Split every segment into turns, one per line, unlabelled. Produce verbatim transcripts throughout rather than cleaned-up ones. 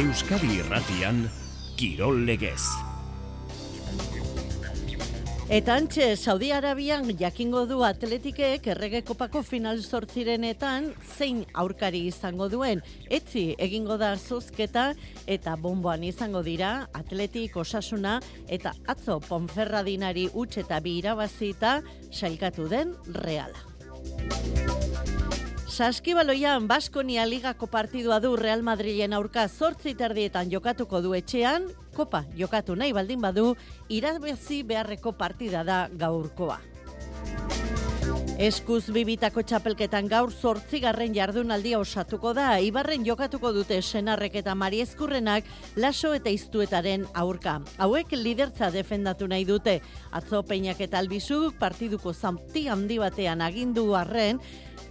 Euskadi Irratian, Kirol Legez.
Eta antxe, Saudi Arabian jakingo du atletikek Errege Kopako final zortzirenetan zein aurkari izango duen. Etzi egingo da zozketa eta bonboan izango dira Atletik, Osasuna eta atzo Ponferradinari huts eta bi irabazita sailkatu den Reala. Saskibaloian Baskonia Ligako partidua du Real Madrilen aurka zortzi terdietan jokatuko du etxean, Kopa jokatu nahi baldin badu, irabazi beharreko partida da gaurkoa. Eskuz bibitako txapelketan gaur zortzigarren jardunaldia osatuko da, Ibarren jokatuko dute Senarrek eta Mariezkurrenak Laso eta Iztuetaren aurka. Hauek lidertza defendatu nahi dute, atzo Peinak eta Albizuk partiduko zauti handi batean agindu arren,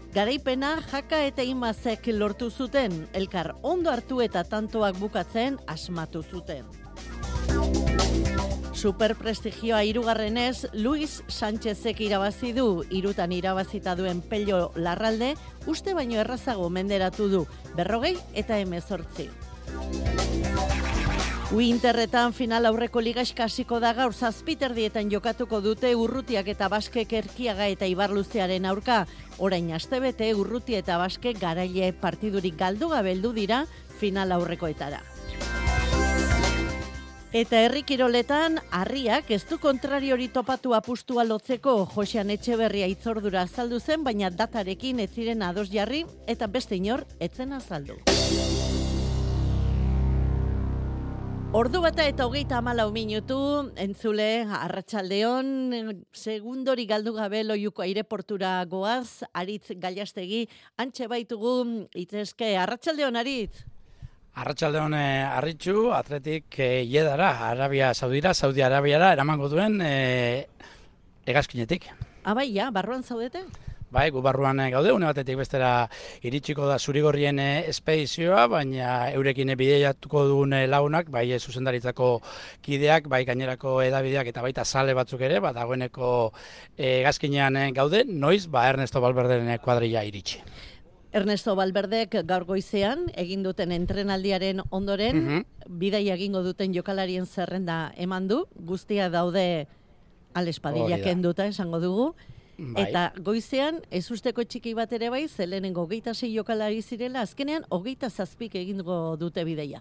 garaipena Jaka eta Imazek lortu zuten, elkar ondo hartu eta tantoak bukatzen asmatu zuten. Superprestigioa hirugarrenez, Luis Sánchezek irabazi du, hirutan irabazita duen Pello Larralde, uste baino errazago menderatu du, berrogei eta hemezortzi. Winterretan final aurreko ligaxka hasiko da gaur zazpiterdietan jokatuko dute Urrutiak eta Baskek Erkiaga eta Ibarluzearen aurka. Orain astebete Urruti eta Baskek garaile partidurik galdu gabe heldu dira final aurrekoetara. Eta herri kiroletan, Harriak ez du kontrariori topatu apustua lotzeko. Josean Etxeberria hitzordura azaldu zen, baina datarekin ez ziren ados jarri eta beste inor etzen azaldu. Ordu bata eta hogeita hamalau minutu, entzule, arratsaldeon, segundori galdu gabe Loiuko aireportura goaz, Aritz Gallastegi, antxe baitugu, itzeske, arratsaldeon Aritz?
Arratsaldeon Arritxu, atletik e, Jedara, Arabia Saudira, Saudi Arabiara, eramango duen e, hegazkinetik.
Abai, ja, barruan zaudete?
Bai, gu barruan gaude, une batetik bestera iritsiko da Zurigorrien espedizioa, baina eurekin bideiatuko dugun lagunak, bai zuzendaritzako kideak, bai gainerako edabideak eta baita sale batzuk ere, ba dagoeneko hegazkinean gaude, noiz ba Ernesto Valverderen kuadrilla iritsi.
Ernesto Valverdek gaur goizean egin duten entrenaldiaren ondoren, mm-hmm. bidaia egingo duten jokalarien zerrenda eman du, guztia daude Alespadilla kenduta esango dugu. Bai. Eta goizean, ez usteko txiki bat ere bai, zelenengo hogeita sei jokalari zirela, azkenean hogeita zazpik egingo dute bideia.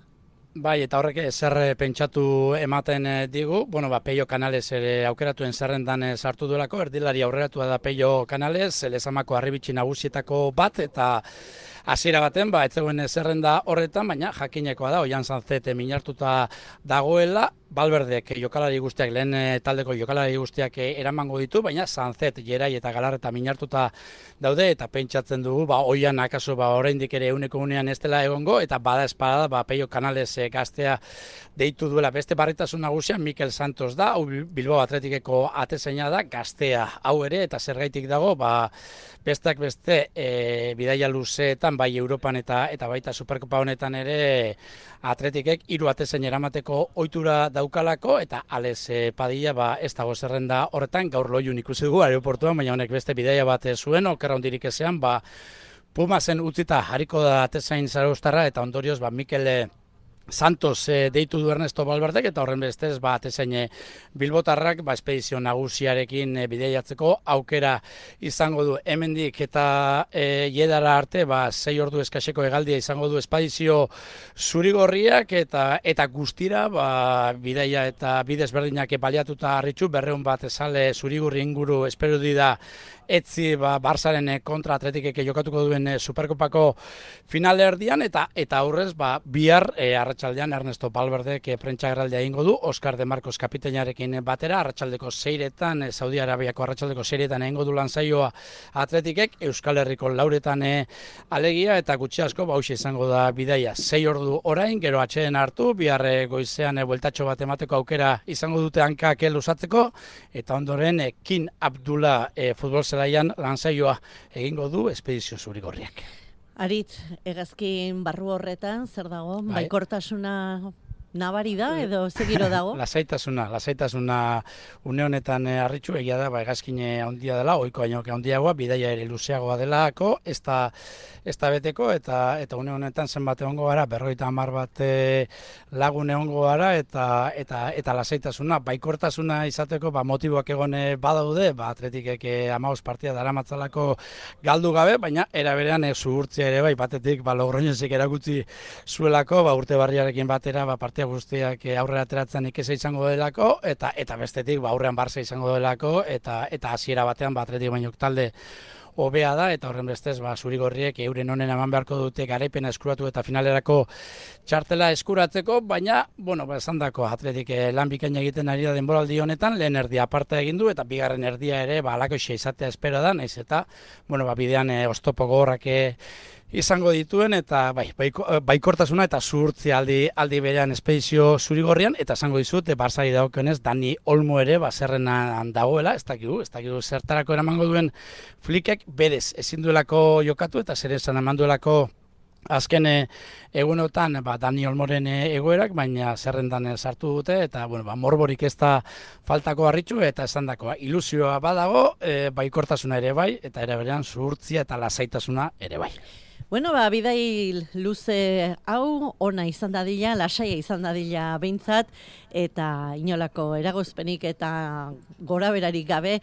Bai, eta horrek zer pentsatu ematen digu, bueno, ba, Peio Canales ere aukeratuen zerrendan sartu duelako, erdilari aurreratua da Peio Canales, Lezamako Arribitxi nagusietako bat, eta hasiera baten, ba, ez zegoen zerrenda horretan, baina jakinekoa da, Oian Sanzete minartuta dagoela, Valverdek jokalari guztiak, lehen taldeko jokalari guztiak eramango ditu, baina Sanzet, Jerai eta Galarreta minartuta daude, eta pentsatzen dugu, ba, Oian akaso ba, oraindik ere euneko unean ez dela egongo, eta bada espada, ba, Peio Canales gaztea deitu duela beste barritasun nagusia, Mikel Santos da, hau Bilbao Atletikeko atezaina da, gaztea hau ere, eta zergaitik dago, ba, besteak beste e, bidaia luzeetan, bai Europan eta eta baita Superkopa honetan ere Atletikek hiru atezain eramateko ohitura daukalako, eta Alex Padilla ba, ez dago zerrenda horretan, gaur Loiun ikusi dugu aeroportuan, baina honek beste bidaia bat zuen, okerra hondirik ezean, ba, Pumasen utzita jarriko da atezain zarauztarra, eta ondorioz ba, Mikel Santos e, deitu du Ernesto Valverdek, eta horren bestez ba, atezain bilbotarrak ba, espedizio nagusiarekin e, bideiatzeko aukera izango du. Hemendik eta e, Jedara arte ba, sei ordu eskaseko hegaldia izango du espedizio Zurigorriak, eta eta guztira ba, bidaia eta bidez berdinak baliatuta Arritxu, berreun bat sale Zurigorri inguru espero da etzi ba, Barsaren kontra Atletikek jokatuko duen Superkopako finale erdian, eta eta aurrez ba, bihar e, arratsaldean Ernesto Valverdek prentsagerraldia egingo du, Oscar de Marcos kapitainarekin batera, arratsaldeko seiretan, e, Saudi Arabiako arratsaldeko seiretan egingo du lan saioa Atletikek, Euskal Herriko lauretan e, alegia, eta gutxi asko ba, hauxe izango da bidaia, sei ordu orain, gero atxeden hartu, bihar e, goizean e, bueltatxo bat emateko aukera izango dute hankak luzatzeko, eta ondoren e, Kin Abdullah e, futbol zelaian lansaioa egingo du espedizio Zurigorriak.
Aritz, hegazkin barru horretan, zer dago, bai. Baikortasuna nabari da edo zegiro dago?
Lasaitasuna, lasaitasuna une honetan harritxu egia da, ba, hegazkine handia dela, ohiko baino handiagoa, bidaia ere luzeagoa delako, ez da, ez da beteko, eta eta une honetan zenbat egongo gara, berrogeita hamar bat lagun egongo gara, eta eta eta lasaitasuna, baikortasuna izateko, ba, motiboak egon badaude, ba, Atletikek hamabost partida daramatzalako galdu gabe, baina era berean zuhurtzia ere bai, batetik ba, Logroñesek erakutsi zuelako, ba, urte barriarekin batera, ba, partia guztiak aurrera ateratzen ikesa izango delako, eta eta bestetik ba, aurrean Barça izango delako, eta eta hasiera batean ba, Atletik baino talde hobea da, eta horren bestez, ba, zurigorriek euren honen eman beharko dute garaipena eskuratu eta finalerako txartela eskuratzeko, baina, bueno, ba, esan dako, Atletik lan bikaina egiten ari da denboraldi honetan, lehen erdia aparta egin du, eta bigarren erdia ere, ba, alakoxe izatea espero da, naiz eta, bueno, ba, bidean e, oztopo gogorrak izango dituen, eta bai, baiko, baikortasuna eta zuhurtzia aldi, aldi berean espedizio zurigorrian, eta esango dizut, Barzari dagokionez, Dani Olmo ere baserrenan dagoela, ez dakigu, ez dakigu zertarako eramango duen Flickek, berez, ezin duelako jokatu, eta zer esan eman duelako azken egunotan ba, Dani Olmoren egoerak, baina zerrendan sartu dute, eta bueno, ba, morborik ez da faltako harritxu, eta esan dakoa, ilusioa badago, e, baikortasuna ere bai, eta ere berean zuhurtzia eta lasaitasuna ere bai.
Bueno, ba, bidai luze hau, ona izan dadila, lasaia izan dadila behintzat, eta inolako eragozpenik eta gora berarik gabe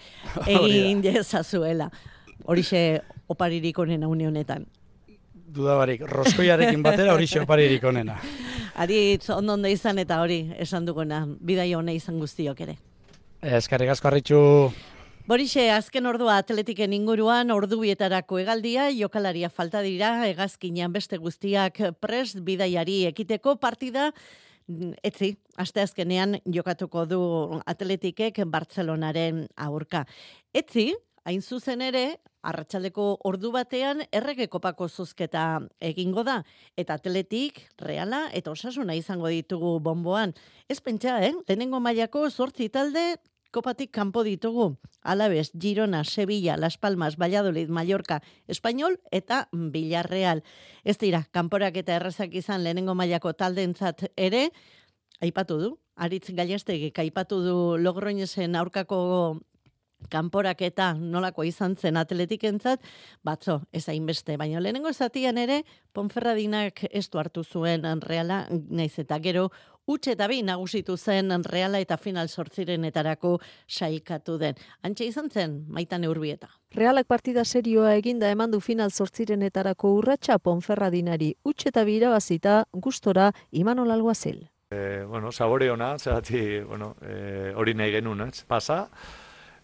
egin dezazuela. Horixe oparirik onena une honetan.
Dudabarik, roskoiarekin batera horixe oparirik onena.
Aritz, ondonde izan eta hori esan duguna, bidai ona izan guztiok ere.
Eskerrik asko harritxu.
Borixe, azken ordua Atletiken inguruan ordubietarako hegaldia, jokalaria falta dira, hegazkinean beste guztiak prest bidaiari ekiteko partida, etzi, asteazkenean jokatuko du Atletikek Bartzelonaren aurka. Etzi, hain zuzen ere, arratsaldeko ordu batean errege kopako zozketa egingo da, eta Atletik, Reala eta Osasuna izango ditugu bonboan. Ez pentsa, eh? Lehenengo mailako zortzi talde, kopatik kanpo ditugu, Alaves, Girona, Sevilla, Las Palmas, Valladolid, Mallorca, Español eta Villarreal. Ez dira, kanporak eta errazak izan lehenengo mailako taldeentzat ere, aipatu du, Aritz Gallastegik aipatu du Logroñesen aurkako kanporak eta nolako izan zen Atletikentzat, batzo, ez hainbeste, baina lehenengo zatian ere, Ponferradinak ez du hartu zuen Reala, naiz eta gero, utxe eta bi nagusitu zen Reala eta final zortzirenetarako sailkatu den. Antxe izan zen, Maitane Urbieta.
Realak partida serioa eginda eman du final zortzirenetarako urratsa Ponferradinari utxe eta bi irabazita gustora Imanol Alguazil.
Eh, bueno, sabore ona, zerati, bueno, eh, hori nahi genuen, ez? Pasa,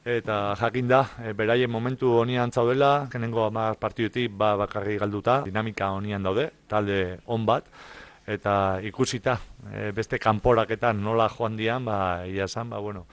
eta jakin da, e, beraien momentu honian zaudela, kenengo hamar partidutik ba bakarri galduta, dinamika honian daude, talde on bat, eta ikusita e, beste kanporaketan nola joan dian, ba, ia esan, ba, bueno,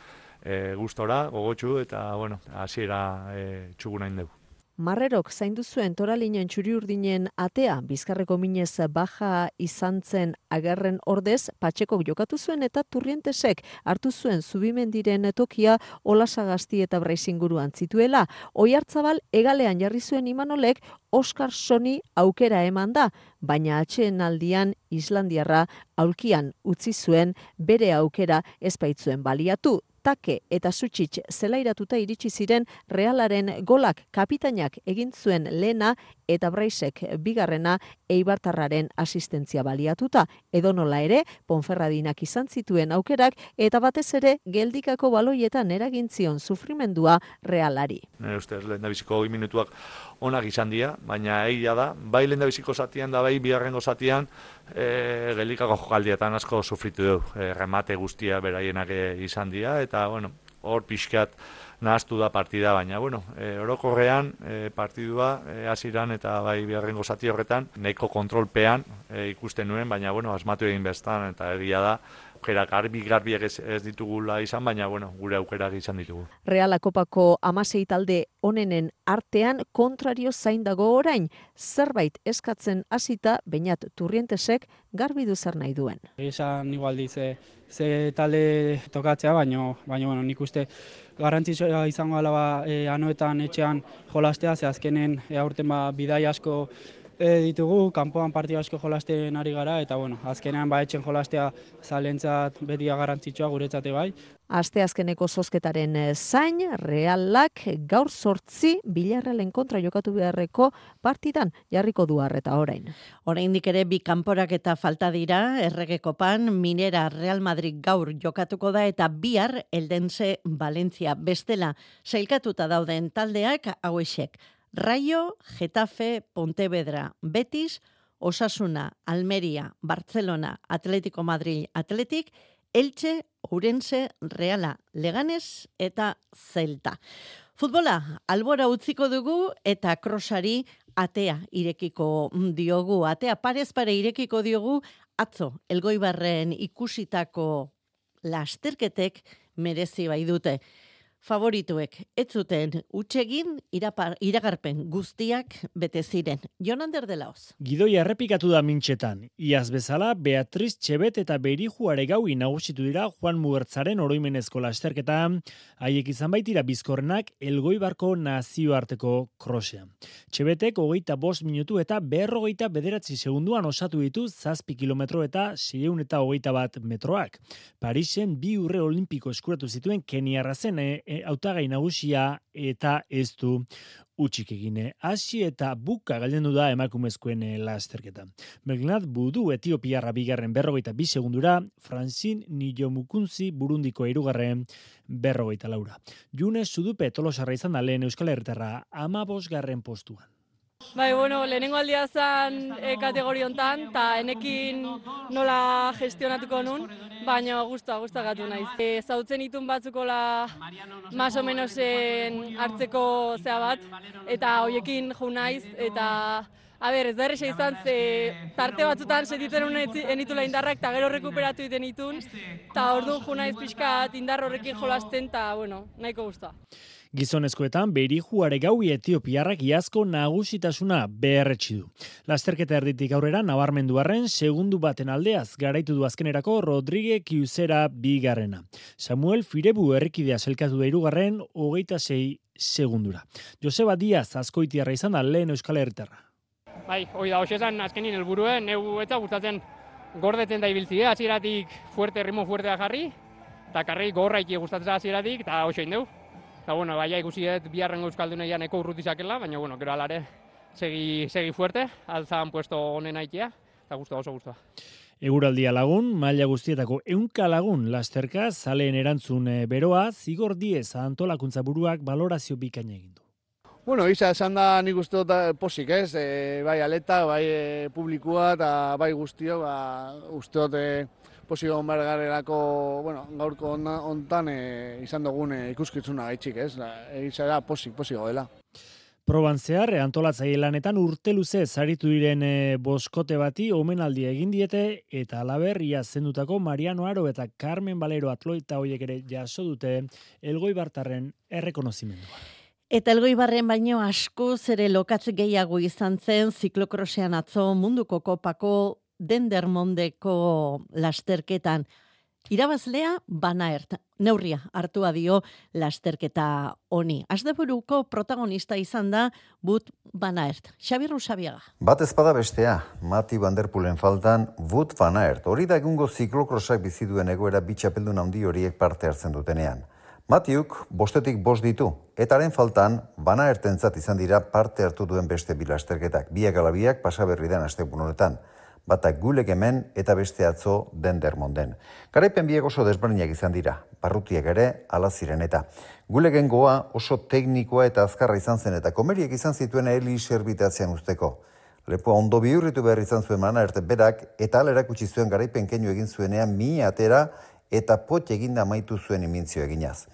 e, gustora, gogotsu, eta, bueno, hasiera e, txugunain dugu.
Marrerok zaindu zuen Toralinen txuri-urdinen atea, Bizkarreko minez baja izan zen agerren ordez, Patxekok jokatu zuen eta Turrientesek hartu zuen Zubimendiren tokia Olasagasti eta Braizinguruan zituela. Oiartzabal egalean jarri zuen Imanolek Oskar Soni aukera eman da, baina atsedenaldian Islandiarra aulkian utzi zuen bere aukera ez baitzuen baliatu. Take eta Sutsic zelairatuta iritsi ziren Realaren golak kapitainak egin zuen lehena eta Braisek bigarrena Eibartarraren asistentzia baliatuta. Edonola ere, Ponferradinak izan zituen aukerak eta batez ere geldikako baloietan eragin zion sufrimendua Realari.
Nire ustez, lehendabiziko hogei minutuak onak izan dira, baina egia da, bai lehendabiziko zatian da bai bigarrengo zatian, e, geldikako jokaldietan asko sufritu du, e, remate guztia beraienak izan dira, eta bueno, hor pixkat nahaztu da partida, baina bueno, e, orokorrean e, partidua e, hasiran eta bai bigarrengo zati horretan nahiko kontrolpean e, ikusten nuen, baina bueno, asmatu egin bestan eta egia da aukerak garbi-garbiak ez, ez ditugula izan, baina bueno, gure aukerak izan ditugu.
Reala Kopako hamasei talde onenen artean kontrario zain dago orain, zerbait eskatzen hasita Beñat Turrientesek garbi du zer nahi duen.
Esan igual dize ze talde tokatzea, baino, baino bueno, nik uste garrantzitsua izango ala ba, e, anoetan etxean jolastea, ze azkenen e, aurten ba, bidai asko e, ditugu, kanpoan partida asko jolasten ari gara, eta bueno, azkenean ba etxen jolastea zalentzat beti garrantzitsua guretzate bai.
Asteazkeneko zozketaren zain, Realak gaur zortzi Villarrealen kontra jokatu beharreko partidan jarriko du harreta orain.
Oraindik ere bi kanporak eta falta dira, Errege Kopan, Minera Real Madrid gaur jokatuko da eta bihar Eldense Valencia. Bestela, sailkatuta dauden taldeak hauexek. Rayo, Getafe, Pontevedra, Betis, Osasuna, Almeria, Barcelona, Atlético Madrid, Atletik, Elche, Ourense, Reala, Leganes eta Celta. Futbola, albora utziko dugu eta krosari atea irekiko diogu. Atea parez pare irekiko diogu atzo Elgoibarren ikusitako lasterketek merezi bai dute. Favorituek ez zuten utsegin iragarpen guztiak bete ziren. Jon Ander de Laoz.
Gidoia errepikatu da mintxetan. Iaz bezala, Beatriz Txebet eta Beiriju Aregaui nagusitu dira Juan Mugertzaren oroimenezko lasterketa, haiek izan baitira bizkorrenak Elgoibarko nazioarteko krosean. Txebetek hogeita bost minutu eta berrogeita bederatzi segunduan osatu ditu zazpi kilometro eta seiehun eta hogeita bat metroak. Parisen bi urre olimpiko eskuratu zituen Keniarra zen e, hautagai nagusia eta ez du utxik egine. Hasi eta buka galdendu da emakumezkoen lasterketa. Belgnat Budu Etiopiarra bigarren berrogeita bi segundura, Francine Nijomukunzi Burundiko hirugarren berrogeita laura. June Sudupe Tolosarra izan da lehen Euskal Herritarra amabosgarren postuan.
Bai, bueno, lehenengo aldia zen e, kategori hontan, eta enekin nola gestionatuko nun, baina guztua, guztua gatu naiz. E, zautzen itun batzukola más o menosen hartzeko zea bat, eta hoiekin jo naiz, eta a ber, ez da erresa izan, ze tarte batzutan sentitzen honen enitula indarrak, eta gero rekuperatu iten itun, eta orduan jo naiz pixkat indar horrekin jolasten, eta bueno, nahiko guztua.
Gizonezkoetan Beiriju Aregaui Etiopiarrak iazko nagusitasuna beherretsi du. Lasterketa erditik aurrera nabarmendu arren segundu baten aldeaz garaitu du azkenerako Rodrigue Kiuzera bigarrena. Samuel Firebu errekidea zelkatu da hirugarren hogeita sei segundura. Joseba Diaz Azkoitiarra izan da lehen Euskal Herritarra.
Bai, hoi da, hoxezan azkenin helburuen, neu etza gustatzen gordetzen da ibiltzia, hasieratik fuerte, ritmo fuertea jarri, eta karri gorraiki gustatzen hasieratik, eta hoxein deu. Eta, bueno, baina ikusi dut biharrengo euskalduna ja neko urrutizakela, baina, bueno, gero alare segi, segi fuerte, altzan puesto honen aitea, eta guztua, oso guztua.
Eguraldia lagun, maila guztietako ehunka lagun lasterka, zaleen erantzun beroa, zigor diez antolakuntza buruak balorazio bikaina egin du.
Bueno, isa esan da nik uste dut posik, ez? E, bai aleta, bai e, publikua eta bai guztio, ba, uste dut e, posik egon behar garelako, bueno, gaurko hontan e, izan dugun e, ikuskitzuna gaitxik, ez? Isa da posik, posik dela.
Proban zehar, antolatzaile lanetan urte luze zaritu diren e, boskote bati omenaldia egin diete eta alaber ia zendutako Mariano Aro eta Carmen Valero atloita hoiek ere jaso dute Elgoibartarren errekonozimendua.
Eta Elgoibarren baino askoz ere lokatz gehiago izan zen ziklokrosean atzo munduko kopako Dendermondeko lasterketan. Irabazlea Van Aert, neurria hartua dio lasterketa honi. Asteburuko protagonista izan da Wout Van Aert. Xabi Rusabiaga.
Bat ezpada bestea, Mati Van Der Poelen faltan Wout Van Aert. Hori da egungo ziklokrosak bizi duen egoera bi txapeldun handi horiek parte hartzen dutenean. Matiuk bostetik bost ditu, eta haren faltan Van Aertentzat izan dira parte hartu duen beste bi lasterketak. Biak alabiak pasaberri den asteburu honetan. Batak Gulek hemen eta beste atzo Dendermonden. Garaipen biek oso desberdinak izan dira, barrutiak ere ala ziren eta. Guleken goa oso teknikoa eta azkarra izan zen eta komeriek izan zituen heli serbitatzean usteko. Lepoa ondo bihurritu behar izan zuen Van Aert berak eta ala erakutsi zuen garaipen keinu egin zuenean mi atera eta pot eginda amaitu zuen imintzio eginaz.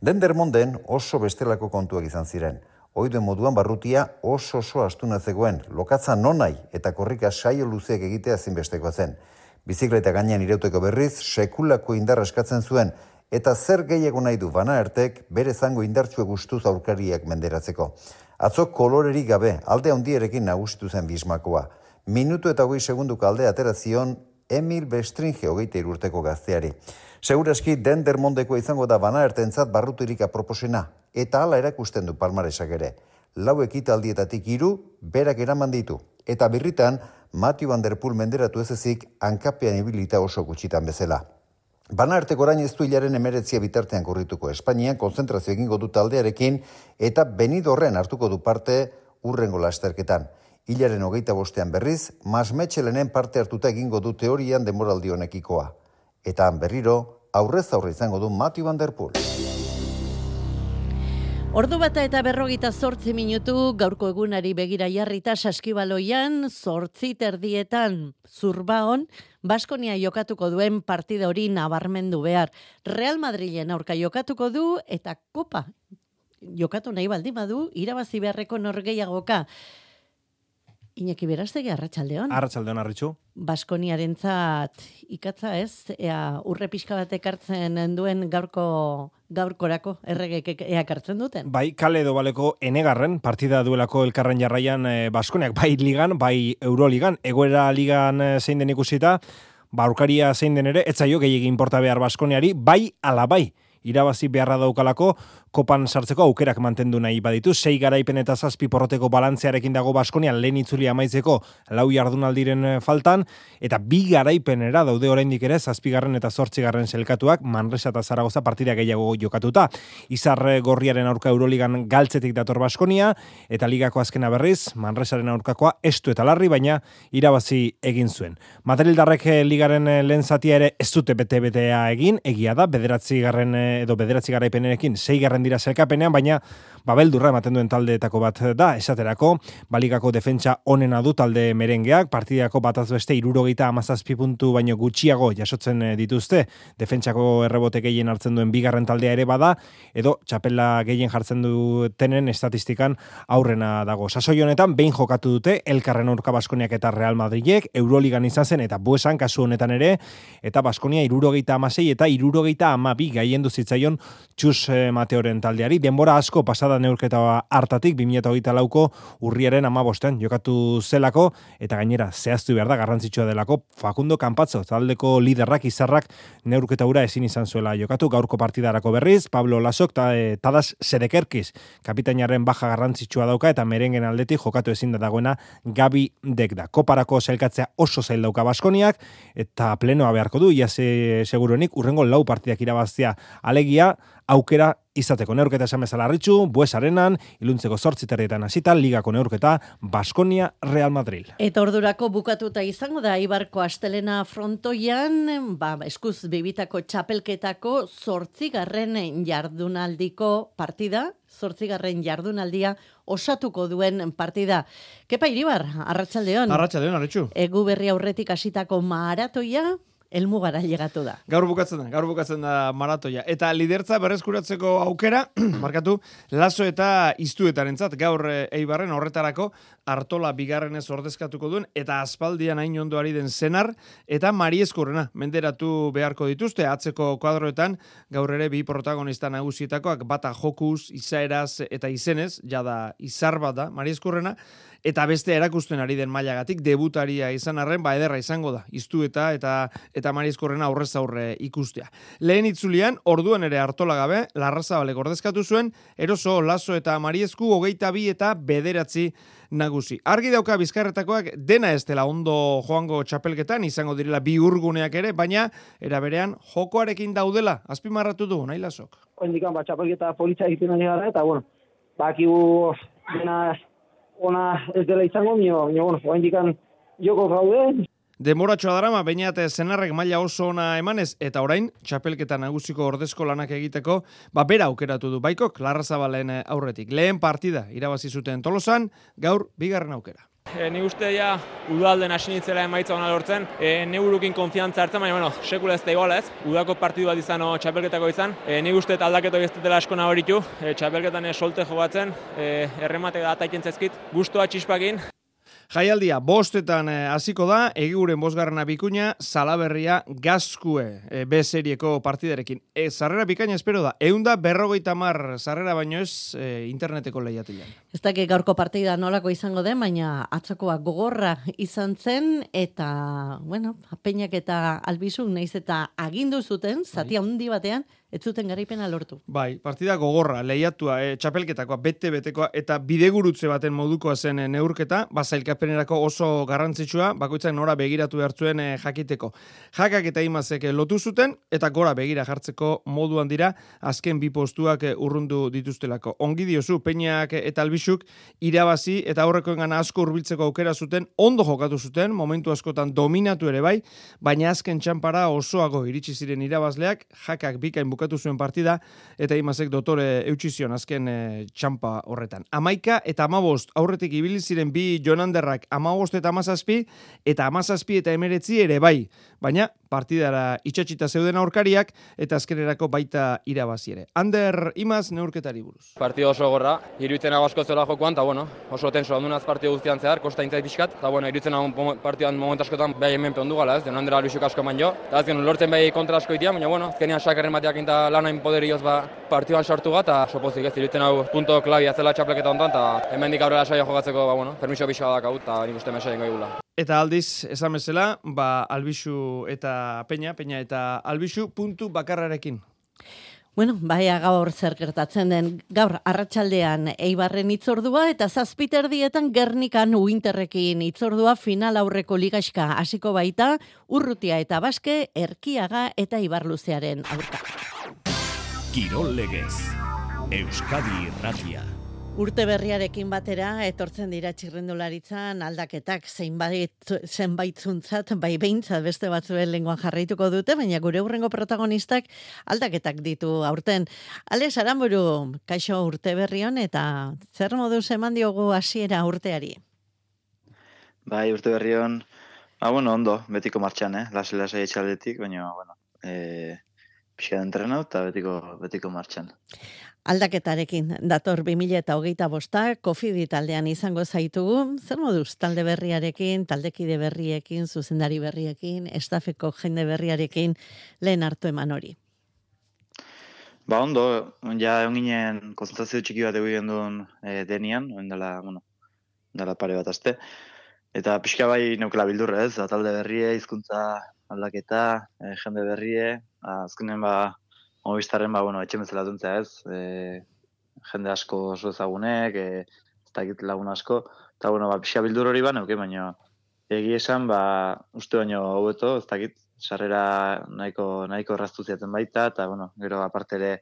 Dendermonden oso bestelako kontuak izan ziren. Oiduen moduan barrutia oso oso astuna zegoen, lokatza nonai eta korrika saio luzeek egitea zinbesteko zen. Bizikleta gainean irauteko berriz, sekulako indarra eskatzen zuen, eta zer gehiago nahi du Van Aertek bere zango indartsue gustuz aurkariak menderatzeko. Atzo kolorerik gabe, alde handierekin nagusitu zen Bismakoa. Minutu eta hogei segunduko alde atera zion Emil Bestringe hogeita urteko gazteari. Segurazki Dendermondeko izango da Van Aertentzat barrutirik aproposena, eta hala erakusten du palmaresak ere. Lau ekitaldietatik hiru berak eraman ditu, eta birritan Mathieu van der Poel menderatu ez ezik hankapean ibilita oso gutxitan bezala. Bana arteko orain ez du hilaren emeretzia bitartean korrituko Espainian, konzentrazio egingo du taldearekin eta Benidorren hartuko du parte urrengo lasterketan. Hilaren hogeita bostean berriz, Masmetxelenen parte hartuta egingo du teorian denboraldi honekikoa. Eta han berriro, aurrez aurre izango du Mathieu van der Poel.
Ordu bata eta berrogita zortzi minutu gaurko egunari begira jarrita Saskibaloian zortzi terdietan Zurbaon Baskonia jokatuko duen partida hori nabarmendu behar. Real Madrilen aurka jokatuko du eta Kopa jokatu nahi baldin badu irabazi beharreko norgehiagoka. Iñaki Berastegi, arratsaldeon.
Arratsaldeon, Arritxu.
Baskoniarentzat ikatza ez, ea urre pixka bat ekartzen duen gaurko gaurkorako erregek ea ekartzen duten.
Bai, kale edo baleko enegarren partida duelako elkarren jarraian eh, Baskoniak, bai ligan, bai Euroligan, egoera ligan eh, zein den ikusita, baurkaria zein den ere, etzaio gehiagin inporta behar Baskoniari, bai ala bai. Irabazi beharra daukalako, kopan sartzeko aukerak mantendu nahi baditu. Sei garaipen eta zazpi porroteko balantzearekin dago Baskonia lehen itzuli amaitzeko lau jardunaldiren faltan, eta bi garaipenera daude oraindik ere zazpigarren eta zortzigarren selkatuak Manresa eta Zaragoza partida gehiago jokatuta. Izar gorriaren aurka Euroligan galtzetik dator Baskonia, eta ligako azkena berriz, Manresaren aurkakoa estu eta larri, baina irabazi egin zuen. Madrildarrek ligaren lehen zatia ere ez dute bete-betea egin, egia da, bederatzi garren edo bederatzi garaipenerekin seigarren dira zelkapenean, baina babeldurra ematen duen taldeetako bat da, esaterako, baligako defentsa onena du talde merengeak, partidako bataz beste hirurogeita hamazazpi puntu baino gutxiago jasotzen dituzte, defentsako errebote gehien hartzen duen bigarren taldea ere bada, edo txapela gehien jartzen dutenen estatistikan aurrena dago. Sasoi honetan, behin jokatu dute, elkarren aurka Baskoniak eta Real Madrilek, Euroligan izan zen, eta buesan kasu honetan ere, eta Baskonia hirurogeita hamasei eta hirurogeita hamabi gaien duzitzaion Txus Mateoren taldeari. Denbora asko pasada neurketa hartatik, bi mila hogeita lauko urriaren hamabostean jokatu zelako, eta gainera zehaztu behar da garrantzitsua delako Facundo Campazzo, taldeko liderrak izarrak neurketa ura ezin izan zuela jokatu. Gaurko partidarako berriz, Pablo Lasok eta e, Tadas Sedekerkiz kapitainaren baja garrantzitsua dauka, eta merengen aldetik jokatu ezin da dagoena Gabi Dekda. Koparako zelkatzea oso zail dauka Baskoniak, eta plenoa beharko du, ia se, seguruenik urrengo lau partidak irabaztea, alegia aukera izateko. Neurketa esan bezala Arritxu, Bues Arenan, iluntzeko zortzi terrietan hasita, ligako neurketa Baskonia Real Madrid.
Eta ordurako bukatuta izango da Ibarko astelena frontoian, ba, eskuz bibitako txapelketako zortzigarren jardunaldiko partida, zortzigarren jardunaldia osatuko duen partida. Kepa Iribar, arratsaldeon.
Arratsaldeon, Arritxu.
Egu berri aurretik hasitako maratoia helmugara llegatu da.
Gaur bukatzen da, gaur bukatzen da maratoia. Eta lidertza berreskuratzeko aukera, markatu, Laso eta Iztuetarentzat gaur Eibarren horretarako Artola bigarrenez ordezkatuko duen, eta aspaldian hain ondoari den Senar, eta Mariezkurrena menderatu beharko dituzte, atzeko kuadroetan, gaur ere bi protagonista nagusietakoak, bata jokuz, izaeraz eta izenez, jada izar bat da, Mariezkurrena, eta beste erakusten ari den mailagatik debutaria izan arren, ba ederra izango da, Iztueta eta eta Mariezkurrena aurrez aurre ikustea. Lehen itzulian, orduan ere Artola gabe, Larrazabalek ordezkatu zuen, eroso Laso eta Mariezku hogeita bi eta bederatzi nagusi. Argi dauka Bizkarretakoak dena ez dela ondo joango txapelketan, izango direla bi urguneak ere, baina era berean jokoarekin daudela, azpimarratu du, nahi Lasok.
Oindikan, ba, txapelketa politxa egiten ari gara, eta, bueno, bakigu dena ona ez dela izango, nio, nio, bueno, oindikan joko gaude.
Demoratxoa darama, bainat Senarrek maila oso ona emanez, eta orain, txapelketa nagusiko ordezko lanak egiteko, ba, bera aukeratu du Baikok, Larrazabalen aurretik. Lehen partida irabazi zuten Tolosan, gaur bigarren aukera.
E, ni uste ja udalden hasi nintzela emaitza ona lortzen, e, neurukin konfiantza hartzen, baina bueno, sekula ez da iguala ez, udako partidu bat izan o txapelketako izan, e, ni uste aldaketo ez dutela asko nabaritu, e, txapelketan e, solte jogatzen, e, erremate da ataiken zezkit, guztua txispakin.
Jaialdia bostetan hasiko da, egiguren bosgarrena bikuña, Salaberria Gazkue e, B serieko partidarekin. E, sarrera bikaina espero da, eunda berrogeita mar sarrera baino ez e, interneteko lehiatilean.
Ez dakik gaurko partida nolako izango den, baina atzokoa gogorra izan zen, eta, bueno, Peñak eta Albizuk naiz eta agindu zuten, zati handi batean, ez zuten garaipena lortu.
Bai, partida gogorra, lehiatua, e, txapelketakoa, bete-betekoa, eta bidegurutze baten modukoa zen e, neurketa, bazailkapenerako oso garrantzitsua, bakoitzak nora begiratu behartzuen e, jakiteko. Jakak eta imazek lotu zuten, eta gora begira jartzeko moduan dira, azken bi postuak e, urrundu dituztelako. Ongi diozu, Peñak eta Albixuk irabazi, eta aurrekoen gana asko hurbiltzeko aukera zuten, ondo jokatu zuten, momentu askotan dominatu ere bai, baina azken txanpara osoago iritsi ziren irabazleak, Jakak bikain bukatu zuen partida, eta imazek dotore eutxizion azken e, txampa horretan. Amaika eta amabost aurretik ibili ziren bi Jonanderrak amabost eta amazazpi, eta amazazpi eta emeretzi ere bai, baina partidara itxatxita zeuden aurkariak, eta azkenerako baita irabazi ere. Ander Imaz neurketari buruz.
Partida oso gorra, iruditzen nago asko zela jokoan, eta bueno, oso tenso handunaz partida guztian zehar, kosta intzait pixkat, eta bueno, iruditzen nago partidan moment askotan behar hemen peondu gala, ez, Jonandera Albixuk asko eman jo, eta azken lortzen behi kontra asko itia, baina bueno, azkenean sakarren bateak eta lanain poderioz ba, partidan sartu bat, eta sopozik ez, iruditzen nago punto klabia zela txapleketa hontan, eta hemen dik aurrera saia jokatzeko, ba bueno, permiso pixka badak hau, eta nik uste mesaien gaigula.
Eta aldiz, esan bezala, ba, Albixu eta Peña, Peña eta Albixu puntu bakarrarekin.
Bueno, baia gaur zer gertatzen den, gaur arratsaldean Eibarren hitzordua eta zazpiterdietan Gernikan Uinterrekin hitzordua final aurreko ligaxka hasiko baita, Urrutia eta Baske, Erkiaga eta Ibarluzearen aurka.
Kirol Legez, Euskadi Irratia.
Urte berriarekin batera etortzen dira txirrindularitzan aldaketak zeinbait zenbaitzuntzat, bai behintzat beste batzuen lenguan jarraituko dute, baina gure hurrengo protagonistak aldaketak ditu aurten. Alex Aramburu, kaixo urte berrion eta zer moduz eman diogu hasiera urteari?
Bai, urte berrion, ah, bueno, ondo, betiko martxan, eh? Lase-lase etxaldetik, baina, bueno, eh, pixka entrenau eta betiko, betiko martxan.
Aldaketarekin dator bi mila hogeita bosta, Kofidi taldean izango zaitugu. Zer moduz talde berriarekin, taldekide berriekin, zuzendari berriekin, estafeko jende berriarekin lehen hartu eman hori?
Ba ondo, ja egon ginen konzentrazio txiki bat egin duen e, denian, dela, bueno, dela pare bat aste. Eta pixka bai neukela bildurra ez, talde berrie, hizkuntza aldaketa, e, jende berrie, azkenen ba, Movistarren, ba, bueno, etxe bezala duntzea ez, e, jende asko oso ezagunek, e, ez dakit lagun asko, eta, bueno, ba, pixka bildur hori ba, neuke, baina egi esan, ba, uste baino hobeto, ez dakit, sarrera nahiko, nahiko erraztu ziaten baita, eta, bueno, gero aparte ere,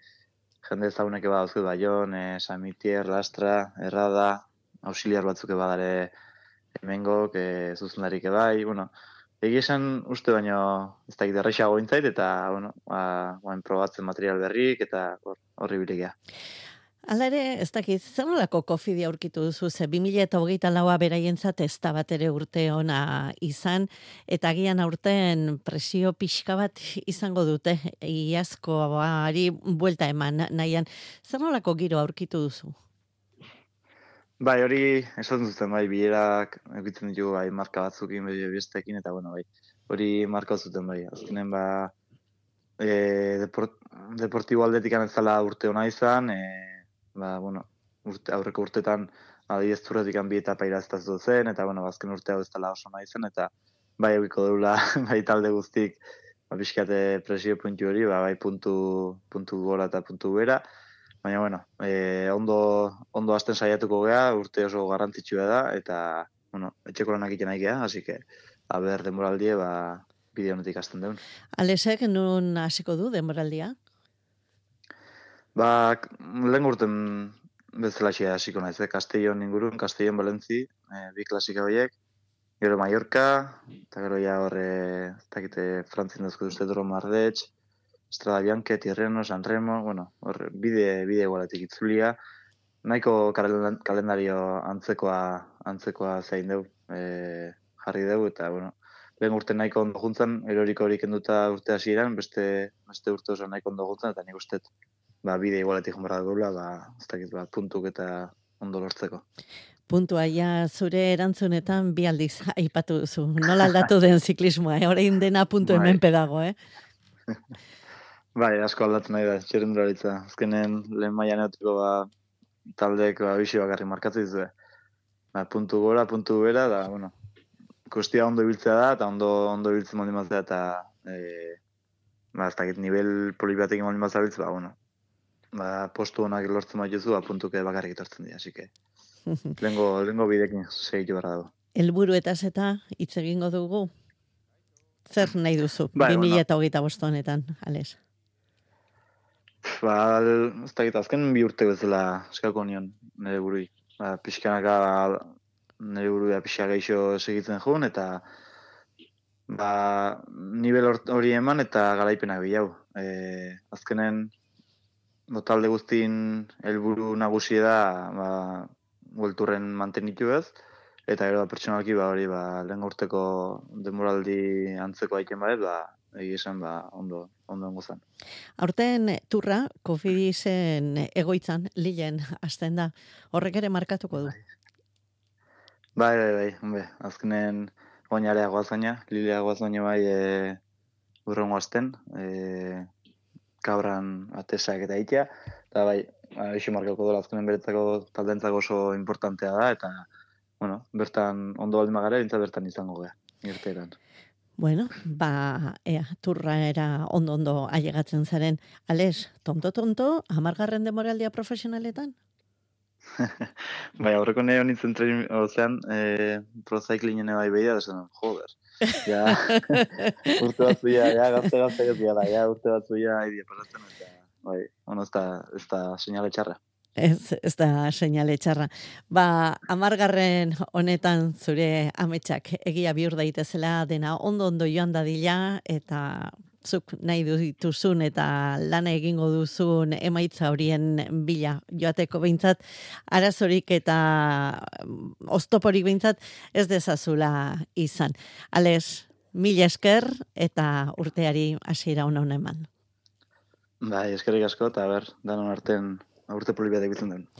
jende ezagunek eba dauzket Baion, e, San Mitier, Lastra, Errada, auxiliar batzuk eba dare hemengok, e, zuzendarik ebai, bueno, egi esan uste baino ez dakit errexago intzait, eta, bueno, ba, bain probatzen material berrik, eta horri bilegia.
Hala ere, ez dakit, zer nolako Kofidi aurkitu duzu, ze bi mila hogeita laua beraientzat ez da bat ere urte ona izan, eta agian aurten presio pixka bat izango dute, iazkoari buelta eman nahian. Zer nolako giro aurkitu duzu?
Bai, hori esaten zuten, bai, bilerak egitzen ditugu, bai, marka batzukin, bai, bestekin, eta, bueno, bai, hori marka zuten, bai, azkenen, ba, e, deport, deportibo aldetik anetzala urte hona izan, e, ba, bueno, urte, aurreko urtetan, adibidez zurretik bi etapa iraztaz zen, eta, bueno, azken urte hau ez dela oso hona izan, eta, bai, egiko deula, bai, talde guztik, ba, pixkate presio puntu hori, ba, bai, puntu, puntu gora eta puntu bera, baina, bueno, eh, ondo, ondo hasten saiatuko gea, urte oso garrantzitsua da, eta, bueno, etxeko lanak iten nahi gea, hasi que, haber denboraldie, ba, bide honetik hasten deun.
Alesek, nun hasiko du denboraldia?
Ba, lehen urten bezalaxia hasiko naiz, eh? Castellon ingurun, Castellon Valentzi, eh, bi klasika horiek, gero Mallorca, eta gero ja horre, ez dakite, Frantzin dazko duzte Doro Mardetx, Estrada Bianche, Tirreno, San Remo, bueno, hor, bide, bide igualetik itzulia. Nahiko kalendario antzekoa, antzekoa zein deu, e, jarri deu, eta, bueno, lehen urte nahiko ondo juntzan, eroriko horik enduta urte hasieran, beste, beste urte oso nahiko ondo juntzan, eta nik ustet, ba, bide igualetik jonbarra dugula, ba, ez dakit, ba, puntuk eta ondo lortzeko.
Puntua, ja, zure erantzunetan bi aldiz aipatu duzu. Nola aldatu den ziklismoa, eh? Orain dena puntu hemen pedago, eh?
Bai, asko aldatu nahi da, txirrindularitza. Azkenen lehen mailan eutiko ba, taldeek ba, bixi bakarri markatu dizue. Ba, puntu gora, puntu bera, da, bueno, kustia ondo ibiltzea da, eta ondo, ondo ibiltzen mondi maztea, eta e, ba, ez dakit, nivel polibatekin molin bazabiltz, ba, bueno, ba, postu honak lortzen baituzu, ba, puntuke bakarrik etortzen dira, así que, lengo, lengo bidekin segitu barra dago.
Helburuetaz eta hitz egingo dugu. Zer nahi duzu,
Bai,
bi mila hogeita bost honetan, Ales?
Ba, ez dakit, azken bi urte bezala eskako nion nire burui. Ba, pixkanaka nire burua pixka geixo segitzen jun, eta ba, nivel hori eman eta garaipenak bilau. E, azkenen, talde guztin helburu nagusi da, ba, buelturren mantenitu ez, eta gero da pertsonalki ba, hori ba, lehen urteko denboraldi antzeko aiken badet, ba, egi esan ba, ondo, ondo ongo zen.
Aurten turra, Kofidisen egoitzan, Lilen, hasten da. Horrek ere markatuko du.
Bai, bai, bai, hombre, azkenen oinarea goazaina, Lilea goazaina bai e, urrengo azten, e, kabran atesak eta itea, eta bai, eixo markatuko dola azkenen beretzako taldentzako oso importantea da, eta bueno, bertan ondo baldin magara, bintzat bertan izango gara, irteeran.
Bueno, ba, ea, turra era ondo-ondo ailegatzen zaren. Ales, tonto-tonto, hamargarren demoraldia profesionaletan?
Bai, aurreko nahi honintzen tren, ozean, e, procyclingen bai behia, desan, joder. Ja, urte batzu ya, ja, gazte-gazte gazte ja, urte batzu ya, idea paratzen, eta, bai, ono, ez da, ez da señale txarra.
Ez, ez da seinale txarra. Ba, amargarren honetan zure ametsak egia bihur daitezela dena ondo-ondo joan dadila eta zuk nahi dituzun eta lana egingo duzun emaitza horien bila joateko behintzat, arazorik eta oztoporik behintzat ez dezazula izan. Ales, mila esker eta urteari hasiera ona ona eman.
Bai, eskerrik asko, eta ber, danon arten urte polibiatek bitzen den.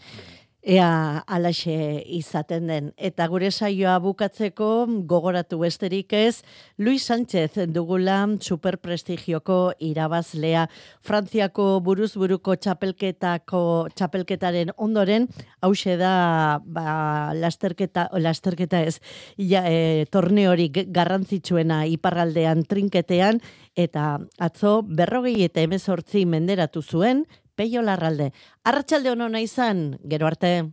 Ea alaxe izaten den. Eta gure saioa bukatzeko gogoratu besterik ez, Luis Sánchez dugula superprestigioko irabazlea. Frantziako buruz-buruko txapelketako txapelketaren ondoren, hause da ba, lasterketa, lasterketa ez, ja, e, torneorik garrantzitsuena iparraldean trinketean, eta atzo berrogei eta hemezortzi menderatu zuen, Peio Larralde. Arratsalde on ona izan, gero arte.